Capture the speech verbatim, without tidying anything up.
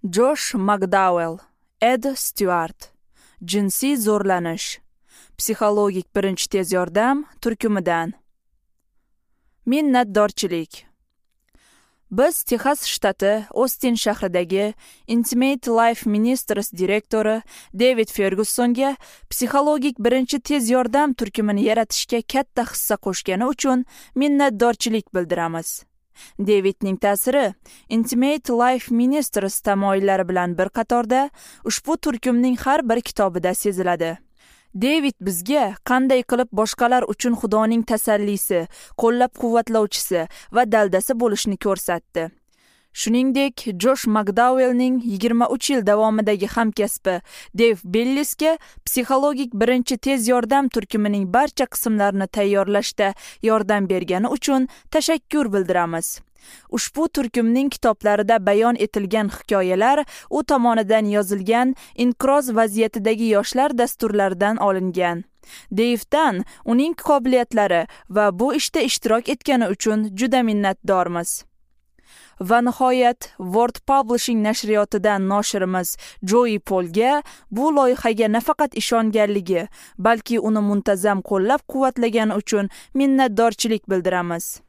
Josh McDowell, Ed Stewart. Jinsiy zo'rlanish. Psixologik birinchi tez yordam turkumidan. Minnatdorchilik. Biz Texas shtati Ostin shahridagi Intimate Life Ministries direktori David Fergusonga psixologik birinchi tez yordam turkumini yaratishga katta hissa qo'shgani uchun minnatdorchilik bildiramiz. Davidning ta'siri Intimate Life Ministries tamoyillari bilan bir qatorda ushbu turkumning har bir kitobida seziladi. David bizga qanday qilib boshqalar uchun Xudoning tasallisi, qo'llab-quvvatlovchisi va daldasi bo'lishni ko'rsatdi. Shuningdek, Josh McDowellning yigirma uch yil davomidagi hamkasbi Dave Bellisga psixologik birinchi tez yordam turkumining barcha qismlarini tayyorlashda yordam bergani uchun tashakkur bildiramiz. Ushbu turkumning kitoblarida bayon etilgan hikoyalar u tomonidan yozilgan inqiroz vaziyatidagi yoshlar dasturlaridan olingan. Davedan uning qobiliyatlari va bu ishda ishtirok etgani uchun juda minnatdormiz. Va nihoyat Word Publishing nashriyotidan noshirimiz Joey Polga bu loyihaga nafaqat ishonganligi, balki uni muntazam qo'llab-quvvatlagani uchun minnatdorchilik bildiramiz.